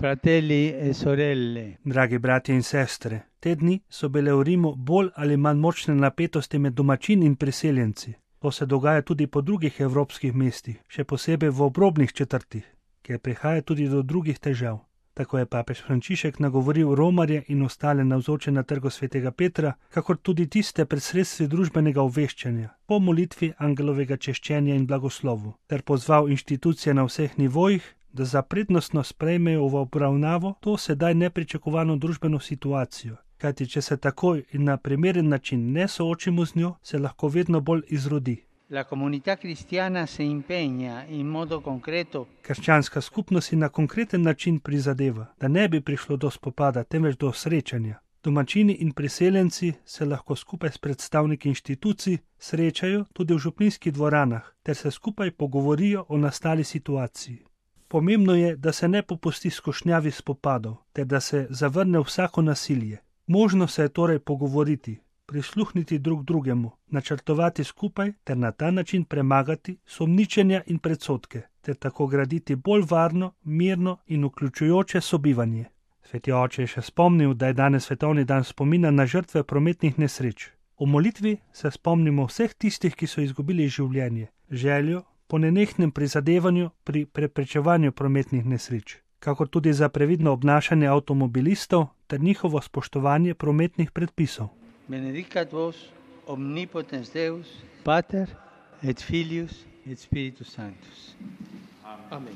Fratelli e sorelle, Dragi bratje in sestre, te dni so bile v Rimu bolj ali manj močne napetosti med domačini in priseljenci. To se dogaja tudi po drugih evropskih mestih, še posebej v obrobnih četrtih, kjer prihaja tudi do drugih težav. Tako je papež Frančišek nagovoril romarje in ostale navzoče na trgu svetega Petra, kakor tudi tiste pred sredstvi družbenega obveščanja, po molitvi angelovega češčenja in blagoslovu, ter pozval inštitucije na vseh nivojih, da za prednostno sprejmejo v obravnavo to sedaj nepričakovano družbeno situacijo, kajti če se takoj in na primeren način ne soočimo z njo, se lahko vedno bolj izrodi. la comunità cristiana si impegna in modo concreto Krščanska skupnost si na konkreten način prizadeva, da ne bi prišlo do spopada, temveč do srečanja. Domačini in priseljenci se lahko skupaj s predstavniki inštitucij srečajo tudi v župnijskih dvoranah, ter se skupaj pogovorijo o nastali situaciji. Pomembno je, da se ne popusti skušnjavi spopadov, ter da se zavrne vsako nasilje. Možno se je torej pogovoriti, prisluhniti drug drugemu, načrtovati skupaj ter na ta način premagati sumničenja in predsodke, ter tako graditi bolj varno, mirno in vključujoče sobivanje. Sveti oče je še spomnil, da je danes svetovni dan spomina na žrtve prometnih nesreč. V molitvi se spomnimo vseh tistih, ki so izgubili življenje, željo po nenehnem prizadevanju pri preprečevanju prometnih nesreč, kakor tudi za previdno obnašanje avtomobilistov ter njihovo spoštovanje prometnih predpisov. benedicat vos omnipotens Deus, Pater et Filius et Spiritus Sanctus. Amen.